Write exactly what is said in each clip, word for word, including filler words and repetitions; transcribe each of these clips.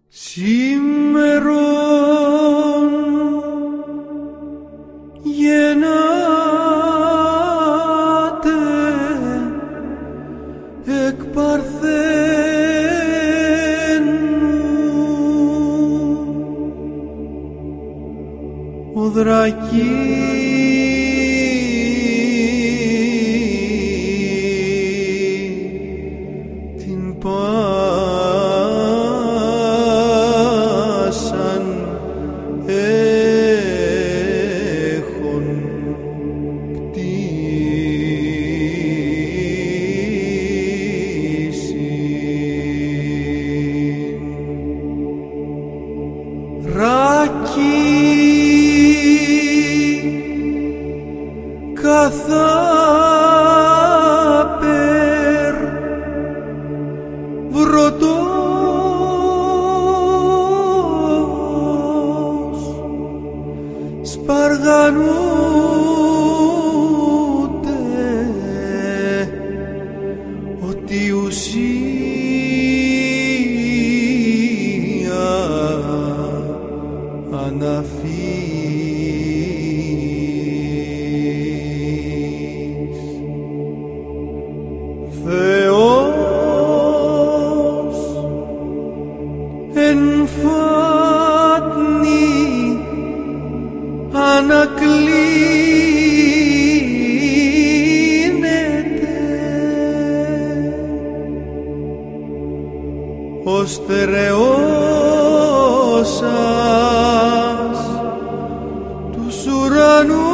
Σήμερον γεννάται εκ Παρθένου ο Δρακής καθάπερ βρωτός σπαργανούται ότι ουσία αναφύγει. Ο στερεός σας τους ουρανούς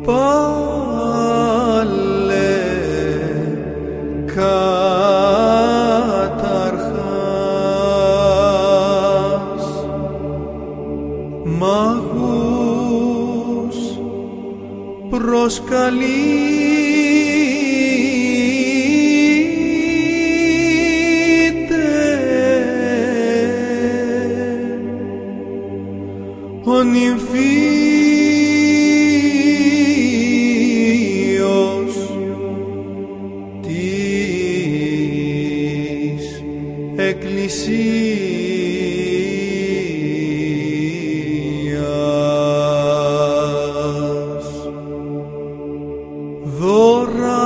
πάλε καταρχάς μάγους προσκαλεί ο νυμφίος της Εκκλησίας. Δώρα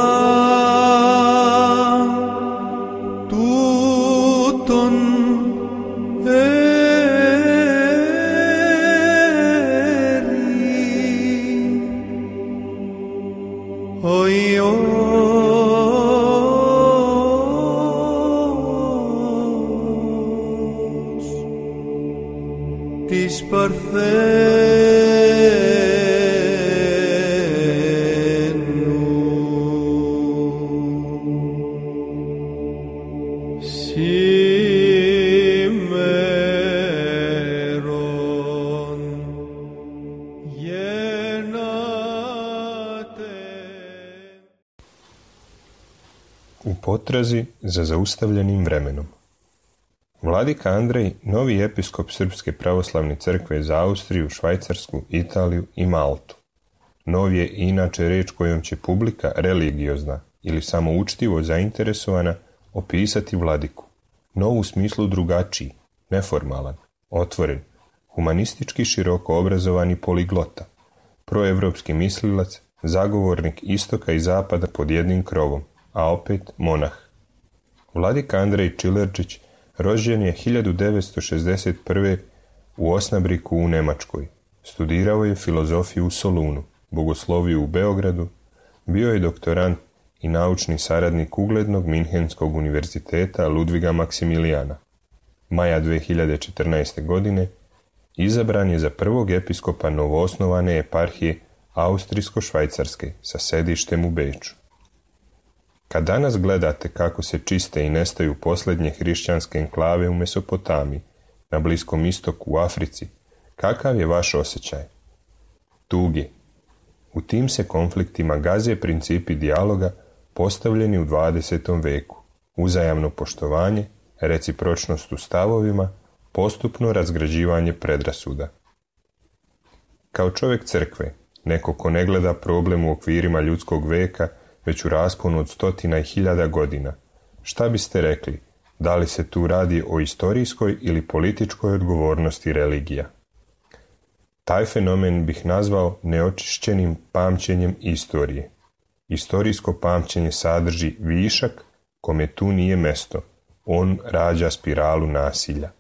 τούτον ο Υιός της Παρθένου. Σήμερον γεννάται. U potrazi za zaustavljenim vremenom. Vladika Andrej, novi episkop Srpske pravoslavne crkve za Austriju, Švajcarsku, Italiju i Maltu. Nov je inače reč kojom će publika religiozna ili samo učtivo zainteresovana opisati vladiku. Nov u smislu drugačiji, neformalan, otvoren, humanistički široko obrazovani poliglota, proevropski mislilac, zagovornik istoka i zapada pod jednim krovom, a opet monah. Vladika Andrej Čilerčić rođen je hiljadu devetsto šezdeset prve u Osnabriku u Nemačkoj. Studirao je filozofiju u Solunu, bogosloviju u Beogradu, bio je doktorant i naučni saradnik uglednog Minhenskog univerziteta Ludviga Maksimilijana. Maja dve hiljade četrnaeste. godine izabran je za prvog episkopa novoosnovane eparhije Austrijsko-Švajcarske sa sedištem u Beču. Kad danas gledate kako se čiste i nestaju posljednje hrišćanske enklave u Mesopotamiji, na Bliskom istoku, u Africi, kakav je vaš osjećaj? Tuge. U tim se konfliktima gaze principi dijaloga postavljeni u dvadesetom veku, uzajamno poštovanje, recipročnost u stavovima, postupno razgrađivanje predrasuda. Kao čovjek crkve, neko ko ne gleda problem u okvirima ljudskog veka, već u rasponu od stotina i hiljada godina, Šta biste rekli? Da li se tu radi o istorijskoj ili političkoj odgovornosti religija? Taj fenomen bih nazvao neočišćenim pamćenjem istorije. Istorijsko pamćenje sadrži višak kome tu nije mesto. On rađa spiralu nasilja.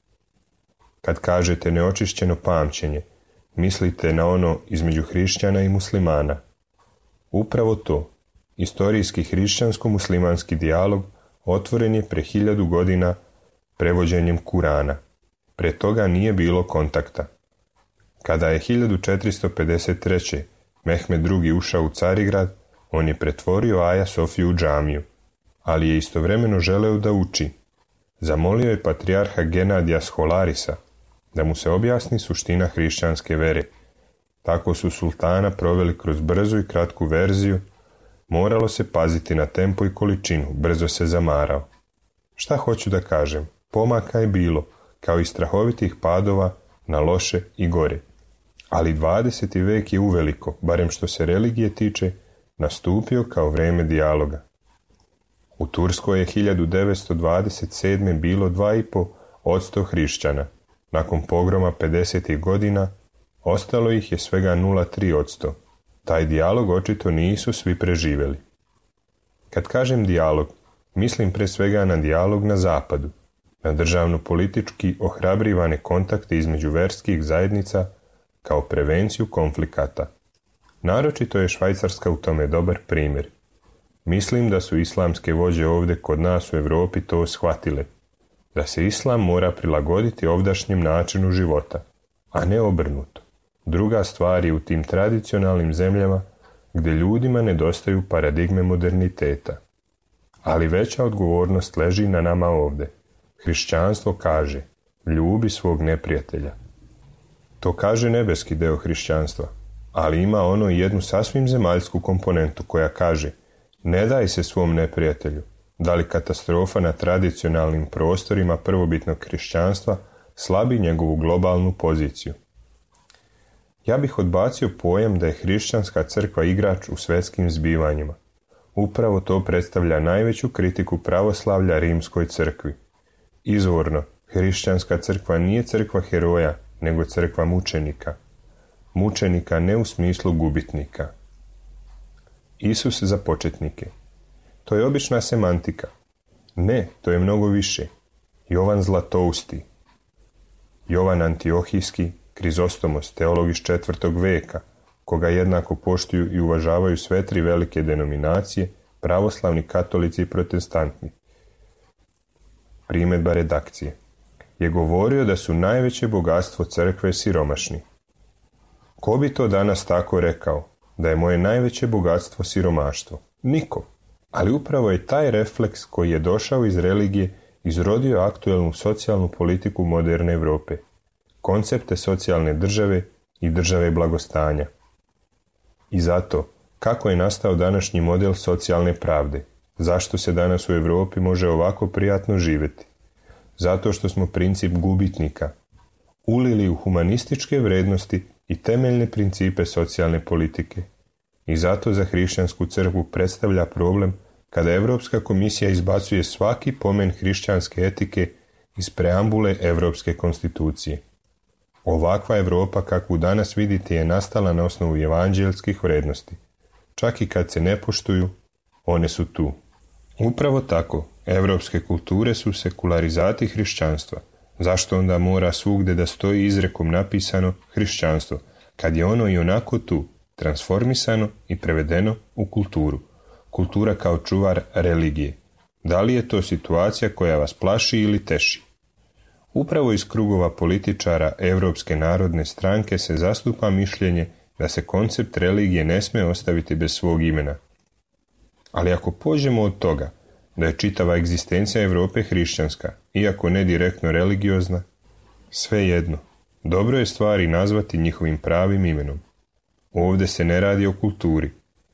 Kad kažete neočišćeno pamćenje, mislite na ono između hrišćana i muslimana. Upravo to, istorijski hrišćansko-muslimanski dijalog otvoren je pre hiljadu godina prevođenjem Kurana. Pre toga nije bilo kontakta. Kada je hiljadu četiristo pedeset treće. Mehmed drugi. ušao u Carigrad, on je pretvorio Aja Sofiju u džamiju, ali je istovremeno želeo da uči. Zamolio je patrijarha Genadija Scholarisa da mu se objasni suština hrišćanske vere. Tako su sultana proveli kroz brzu i kratku verziju. Moralo se paziti na tempo i količinu, brzo se zamarao. Šta hoću da kažem? Pomaka je bilo, kao i strahovitih padova na loše i gore. Ali dvadeseti vek je uveliko, barem što se religije tiče, nastupio kao vreme dijaloga. U Turskoj je hiljadu devetsto dvadeset sedme. bilo dva i po posto hrišćana. Nakon pogroma pedesetih godina ostalo ih je svega nula zarez tri posto. Taj dijalog očito nisu svi preživjeli. Kad kažem dijalog, mislim pre svega na dijalog na zapadu, na državno-politički ohrabrivane kontakte između verskih zajednica kao prevenciju konflikata. Naročito je Švajcarska u tome dobar primjer. Mislim da su islamske vođe ovdje kod nas u Europi to shvatile, da se islam mora prilagoditi ovdašnjem načinu života, a ne obrnuto. Druga stvar je u tim tradicionalnim zemljama gdje ljudima nedostaju paradigme moderniteta. Ali veća odgovornost leži na nama ovdje. Hrišćanstvo kaže, ljubi svog neprijatelja. To kaže nebeski deo hrišćanstva, ali ima ono i jednu sasvim zemaljsku komponentu koja kaže, ne daj se svom neprijatelju. Da li katastrofa na tradicionalnim prostorima prvobitnog hrišćanstva slabi njegovu globalnu poziciju? Ja bih odbacio pojam da je hrišćanska crkva igrač u svetskim zbivanjima. Upravo to predstavlja najveću kritiku pravoslavlja rimskoj crkvi. Izvorno, hrišćanska crkva nije crkva heroja, nego crkva mučenika. Mučenika ne u smislu gubitnika. Isus za početnike. To je obična semantika. Ne, to je mnogo više. Jovan Zlatousti, Jovan Antiohijski, Krizostomos, teolog iz četvrtog veka, koga jednako poštuju i uvažavaju sve tri velike denominacije, pravoslavni, katolici i protestanti. Primjedba redakcije. Je govorio da su najveće bogatstvo crkve siromašni. Ko bi to danas tako rekao, da je moje najveće bogatstvo siromaštvo? Niko. Ali upravo je taj refleks koji je došao iz religije izrodio aktuelnu socijalnu politiku moderne Europe, koncepte socijalne države i države blagostanja. I zato, kako je nastao današnji model socijalne pravde? Zašto se danas u Europi može ovako prijatno živjeti? Zato što smo princip gubitnika ulili u humanističke vrednosti i temeljne principe socijalne politike. I zato za hrišćansku crkvu predstavlja problem kada Europska komisija izbacuje svaki pomen hrišćanske etike iz preambule Europske konstitucije. Ovakva Europa kakvu danas vidite je nastala na osnovu evanđelskih vrednosti. Čak i kad se ne poštuju, one su tu. Upravo tako, europske kulture su sekularizati hrišćanstva. Zašto onda mora svugde da stoji izrekom napisano hrišćanstvo, kad je ono i onako tu, transformisano i prevedeno u kulturu? Kultura kao čuvar religije. Da li je to situacija koja vas plaši ili teši? Upravo iz krugova političara Europske narodne stranke se zastupa mišljenje da se koncept religije ne sme ostaviti bez svog imena. Ali ako pođemo od toga da je čitava egzistencija Europe hrišćanska, iako ne direktno religiozna, svejedno, dobro je stvari nazvati njihovim pravim imenom. Ovdje se ne radi o kulturi,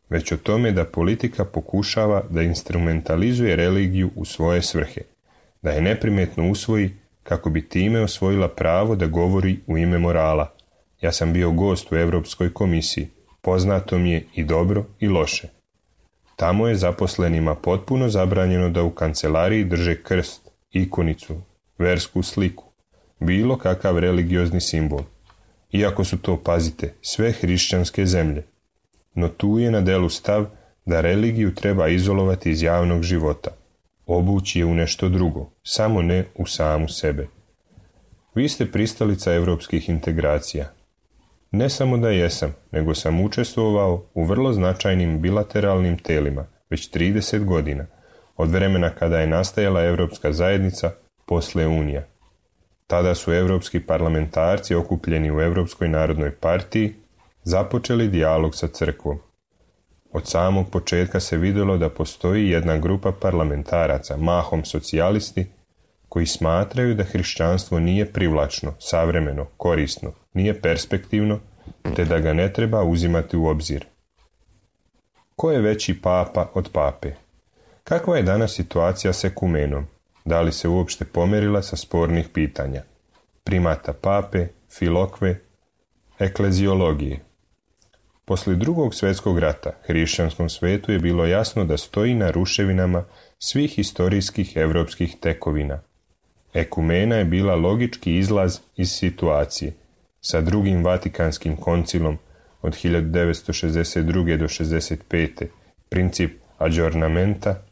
već o tome da politika pokušava da instrumentalizuje religiju u svoje svrhe, da je neprimetno usvoji kako bi time osvojila pravo da govori u ime morala. Ja sam bio gost u Europskoj komisiji, poznato mi je i dobro i loše. Tamo je zaposlenima potpuno zabranjeno da u kancelariji drže krst, ikonicu, versku sliku, bilo kakav religiozni simbol. Iako su to, pazite, sve hrišćanske zemlje. No tu je na delu stav da religiju treba izolovati iz javnog života, obući je u nešto drugo, samo ne u samu sebe. Vi ste pristalica europskih integracija. Ne samo da jesam, nego sam učestvovao u vrlo značajnim bilateralnim telima već trideset godina, od vremena kada je nastajala Europska zajednica, posle Unija. Tada su europski parlamentarci okupljeni u Europskoj narodnoj partiji započeli dijalog sa crkvom. Od samog početka se vidjelo da postoji jedna grupa parlamentaraca, mahom socijalisti, koji smatraju da hrišćanstvo nije privlačno, savremeno, korisno, nije perspektivno, te da ga ne treba uzimati u obzir. Ko je veći papa od pape? Kakva je danas situacija s ekumenom? Da li se uopšte pomerila sa spornih pitanja? Primata pape, filokve, ekleziologije. Poslije drugog svjetskog rata hrišćanskom svetu je bilo jasno da stoji na ruševinama svih historijskih europskih tekovina. Ekumena je bila logički izlaz iz situacije. Sa drugim Vatikanskim koncilom od hiljadu devetsto šezdeset druge do šezdeset pete princip adžornamenta,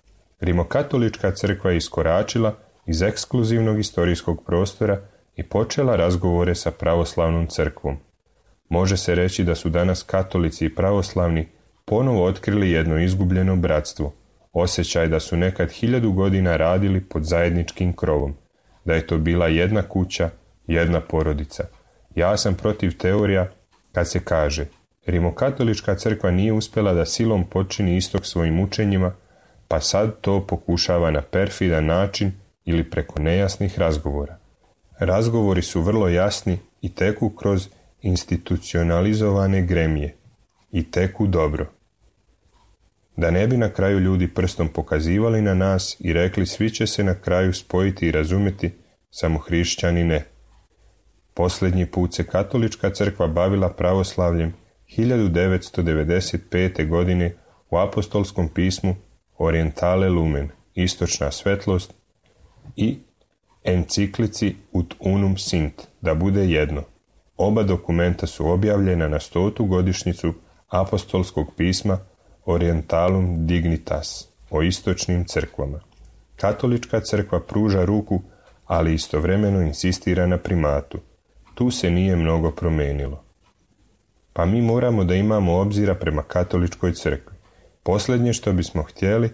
rimokatolička crkva je iskoračila iz ekskluzivnog historijskog prostora i počela razgovore sa pravoslavnom crkvom. Može se reći da su danas katolici i pravoslavni ponovo otkrili jedno izgubljeno bratstvo, osjećaj da su nekad hiljadu godina radili pod zajedničkim krovom, da je to bila jedna kuća, jedna porodica. Ja sam protiv teorija kad se kaže rimokatolička crkva nije uspjela da silom počini istok svojim učenjima, pa sad to pokušava na perfidan način ili preko nejasnih razgovora. Razgovori su vrlo jasni i teku kroz institucionalizovane gremije i teku dobro. Da ne bi na kraju ljudi prstom pokazivali na nas i rekli svi će se na kraju spojiti i razumjeti, samo hrišćani ne. Posljednji put se katolička crkva bavila pravoslavljem hiljadu devetsto devedeset pete. godine u apostolskom pismu Orientale Lumen, istočna svetlost, i enciklici Ut unum sint, da bude jedno. Oba dokumenta su objavljena na stotu godišnjicu apostolskog pisma Orientalum Dignitas, o istočnim crkvama. Katolička crkva pruža ruku, ali istovremeno insistira na primatu. Tu se nije mnogo promenilo. Pa mi moramo da imamo obzira prema katoličkoj crkvi. Posljednje što bismo htjeli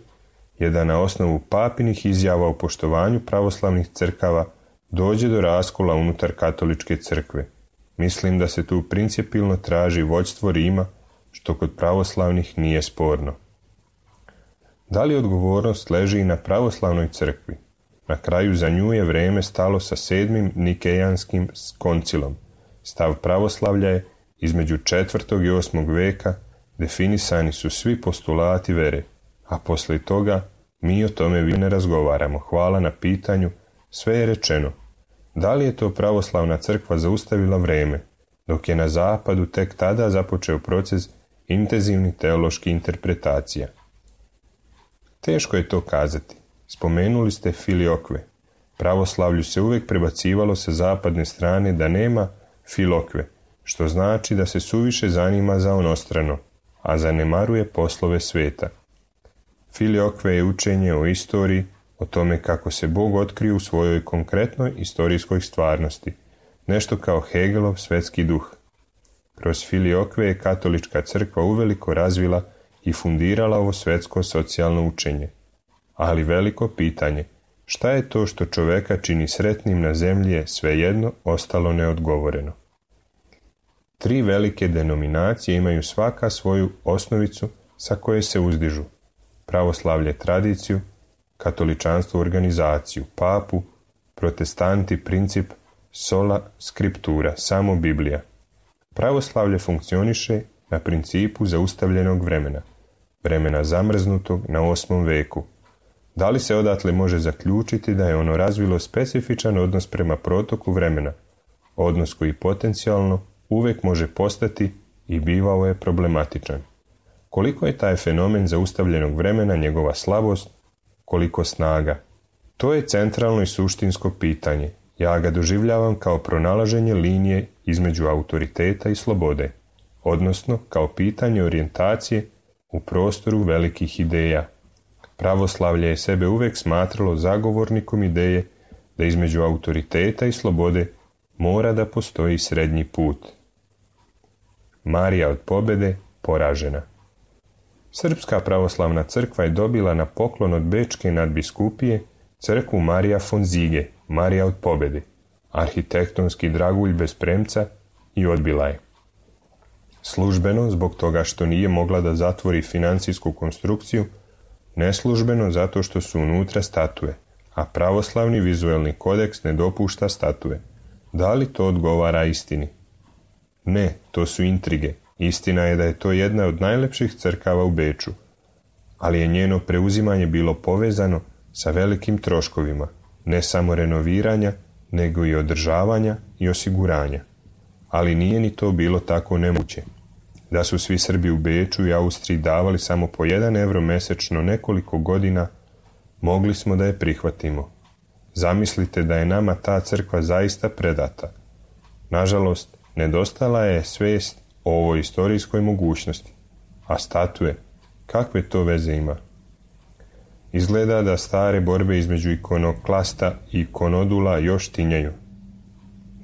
je da na osnovu papinih izjava o poštovanju pravoslavnih crkava dođe do raskola unutar katoličke crkve. Mislim da se tu principijelno traži vođstvo Rima, što kod pravoslavnih nije sporno. Da li odgovornost leži i na pravoslavnoj crkvi? Na kraju za nju je vrijeme stalo sa sedmim Nikejanskim koncilom. Stav pravoslavlja je između četvrtog i osmog veka, definisani su svi postulati vere, a poslije toga mi o tome više ne razgovaramo. Hvala na pitanju, sve je rečeno. Da li je to pravoslavna crkva zaustavila vrijeme, dok je na zapadu tek tada započeo proces intenzivnih teoloških interpretacija? Teško je to kazati. Spomenuli ste filokve. Pravoslavlju se uvijek prebacivalo sa zapadne strane da nema filokve, što znači da se suviše zanima za onostrano, a zanemaruje poslove sveta. Filokve je učenje o istoriji, o tome kako se Bog otkrije u svojoj konkretnoj istorijskoj stvarnosti, nešto kao Hegelov svetski duh. Kroz filokve je katolička crkva uveliko razvila i fundirala ovo svetsko socijalno učenje. Ali veliko pitanje, šta je to što čoveka čini sretnim na zemlji, je svejedno ostalo neodgovoreno. Tri velike denominacije imaju svaka svoju osnovicu sa koje se uzdižu. Pravoslavlje tradiciju, katoličanstvo organizaciju, papu, protestanti princip sola scriptura, samo Biblija. Pravoslavlje funkcioniše na principu zaustavljenog vremena, vremena zamrznutog na osmom veku. Da li se odatle može zaključiti da je ono razvilo specifičan odnos prema protoku vremena, odnos koji potencijalno uvijek može postati i bivao je problematičan? Koliko je taj fenomen zaustavljenog vremena njegova slabost, koliko snaga? To je centralno i suštinsko pitanje. Ja ga doživljavam kao pronalaženje linije između autoriteta i slobode, odnosno kao pitanje orijentacije u prostoru velikih ideja. Pravoslavlje je sebe uvijek smatralo zagovornikom ideje da između autoriteta i slobode mora da postoji srednji put. Marija od pobjede poražena. Srpska pravoslavna crkva je dobila na poklon od bečke nadbiskupije crkvu Marija von Zige, Marija od pobjede, arhitektonski dragulj bez premca, i odbila je. Službeno zbog toga što nije mogla da zatvori financijsku konstrukciju, neslužbeno zato što su unutra statue, a pravoslavni vizuelni kodeks ne dopušta statue. Da li to odgovara istini? Ne, to su intrige. Istina je da je to jedna od najlepših crkava u Beču, ali je njeno preuzimanje bilo povezano sa velikim troškovima, ne samo renoviranja, nego i održavanja i osiguranja. Ali nije ni to bilo tako nemoguće. Da su svi Srbi u Beču i Austriji davali samo po jedan evro mesečno nekoliko godina, mogli smo da je prihvatimo. Zamislite da je nama ta crkva zaista predata. Nažalost, nedostala je svijest o ovoj istorijskoj mogućnosti. A statue, kakve to veze ima? Izgleda da stare borbe između ikonoklasta i ikonodula još tinjaju.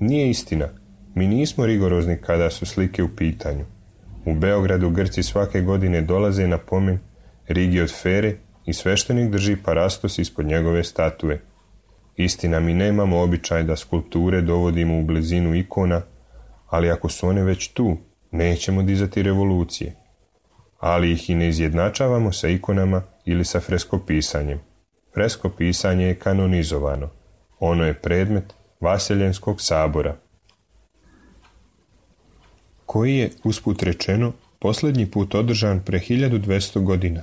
Nije istina. Mi nismo rigorozni kada su slike u pitanju. U Beogradu Grci svake godine dolaze na pomen Rigi od Fere i sveštenik drži parastos ispod njegove statue. Istina, mi nemamo običaj da skulpture dovodimo u blizinu ikona, ali ako su one već tu, nećemo dizati revolucije. Ali ih i ne izjednačavamo sa ikonama ili sa freskopisanjem. Freskopisanje je kanonizovano. Ono je predmet Vaseljenskog sabora, koji je, usput rečeno, posljednji put održan pre hiljadu dvesta godina.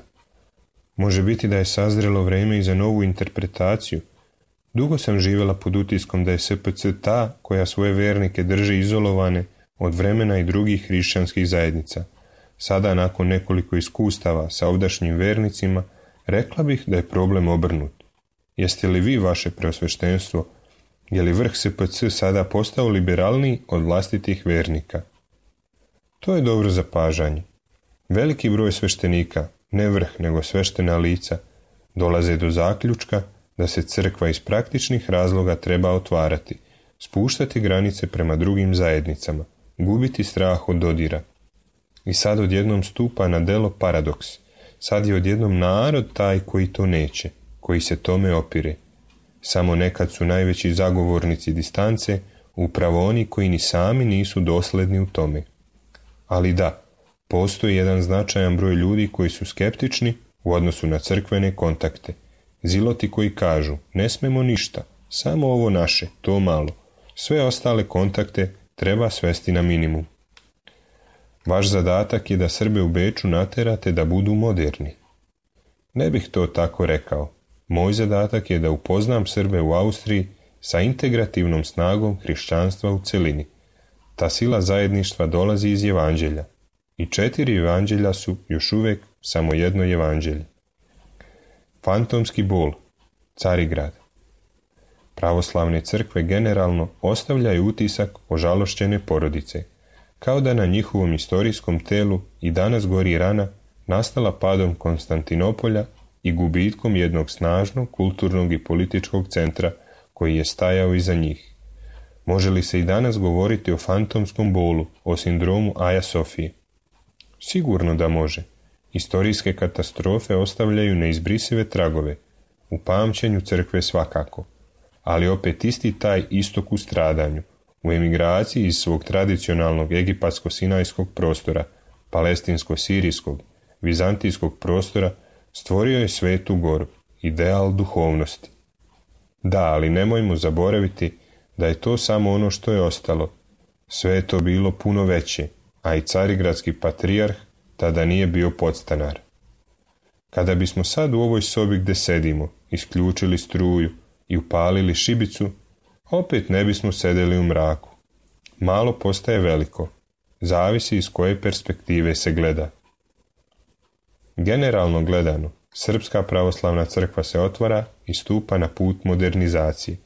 Može biti da je sazrelo vreme i za novu interpretaciju. Dugo sam živjela pod utiskom da je S P C ta koja svoje vernike drži izolovane od vremena i drugih hrišćanskih zajednica. Sada, nakon nekoliko iskustava sa ovdašnjim vernicima, rekla bih da je problem obrnut. Jeste li vi, vaše preosveštenstvo, je li vrh S P C sada postao liberalniji od vlastitih vernika? To je dobro zapažanje. Veliki broj sveštenika, ne vrh nego sveštena lica, dolaze do zaključka da se crkva iz praktičnih razloga treba otvarati, spuštati granice prema drugim zajednicama, gubiti strah od dodira. I sad odjednom stupa na delo paradoks. Sad je odjednom narod taj koji to neće, koji se tome opire. Samo nekad su najveći zagovornici distance upravo oni koji ni sami nisu dosledni u tome. Ali da, postoji jedan značajan broj ljudi koji su skeptični u odnosu na crkvene kontakte. Ziloti koji kažu, ne smemo ništa, samo ovo naše, to malo. Sve ostale kontakte treba svesti na minimum. Vaš zadatak je da Srbe u Beču naterate da budu moderni. Ne bih to tako rekao. Moj zadatak je da upoznam Srbe u Austriji sa integrativnom snagom hrišćanstva u celini. Ta sila zajedništva dolazi iz evanđelja. I četiri evanđelja su još uvijek samo jedno evanđelje. Fantomski bol, Carigrad. Pravoslavne crkve generalno ostavljaju utisak ožalošćene porodice, kao da na njihovom istorijskom telu i danas gori rana nastala padom Konstantinopolja i gubitkom jednog snažnog kulturnog i političkog centra koji je stajao iza njih. Može li se i danas govoriti o fantomskom bolu, o sindromu Aja Sofije? Sigurno da može. Istorijske katastrofe ostavljaju neizbrisive tragove, u pamćenju crkve svakako, ali opet isti taj istok u stradanju, u emigraciji iz svog tradicionalnog egipatsko-sinajskog prostora, palestinsko-sirijskog, vizantijskog prostora, stvorio je Svetu Goru, ideal duhovnosti. Da, ali nemojmo zaboraviti da je to samo ono što je ostalo. Sve je to bilo puno veće, a i carigradski patrijarh tada nije bio podstanar. Kada bismo sad u ovoj sobi gde sedimo isključili struju i upalili šibicu, opet ne bismo sedeli u mraku. Malo postaje veliko, zavisi iz koje perspektive se gleda. Generalno gledano, Srpska pravoslavna crkva se otvara i stupa na put modernizacije.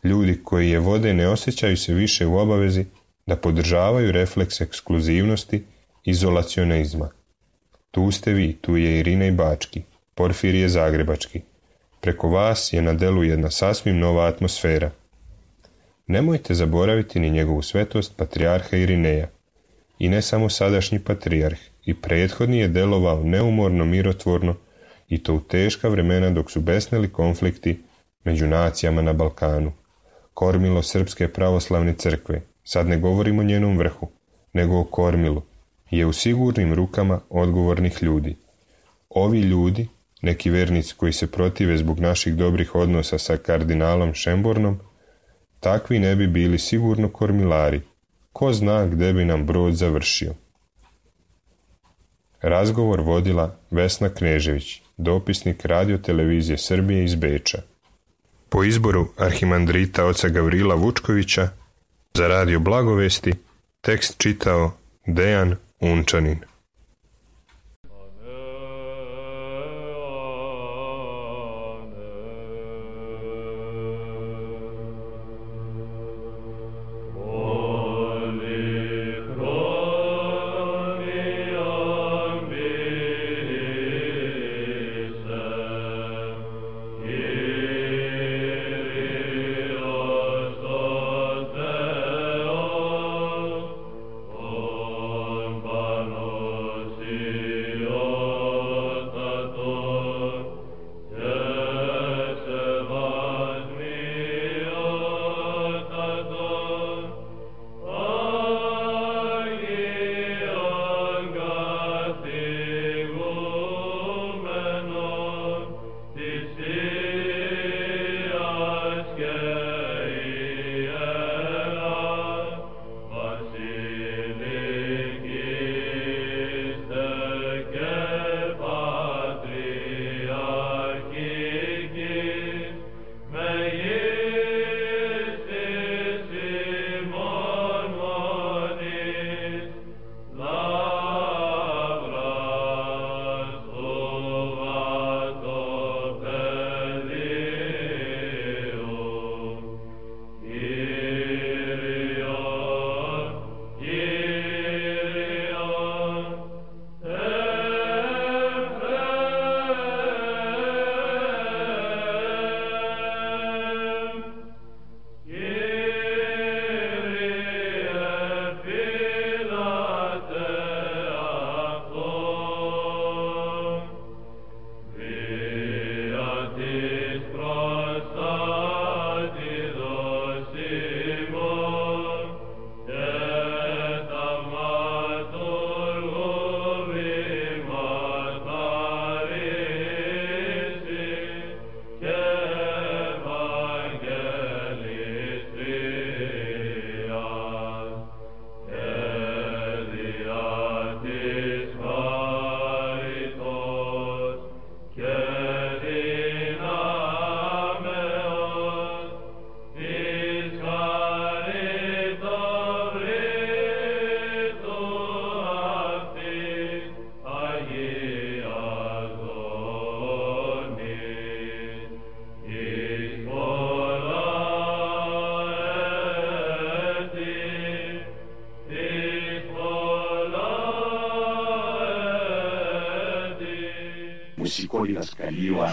Ljudi koji je vode ne osjećaju se više u obavezi da podržavaju refleks ekskluzivnosti, izolacionizma. Tu ste vi, tu je Irinej Bački, Porfirije Zagrebački. Preko vas je na delu jedna sasvim nova atmosfera. Nemojte zaboraviti ni njegovu svetost patrijarha Irineja. I ne samo sadašnji patrijarh, i prethodni je delovao neumorno mirotvorno i to u teška vremena dok su besneli konflikti među nacijama na Balkanu. Kormilo Srpske pravoslavne crkve, sad ne govorimo o njenom vrhu, nego o kormilu, je u sigurnim rukama odgovornih ljudi. Ovi ljudi, neki vernici koji se protive zbog naših dobrih odnosa sa kardinalom Šembornom, takvi ne bi bili sigurno kormilari. Ko zna gde bi nam brod završio. Razgovor vodila Vesna Knežević, dopisnik Radio-televizije Srbije iz Beča. Po izboru arhimandrita oca Gavrila Vučkovića za Radio Blagovesti tekst čitao Dejan Unčanin.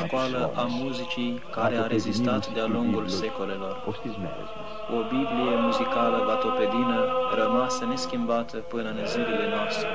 Școală a muzicii care a rezistat de-a lungul secolelor. O Biblie muzicală vatopedină rămasă neschimbată până în zilele noastre.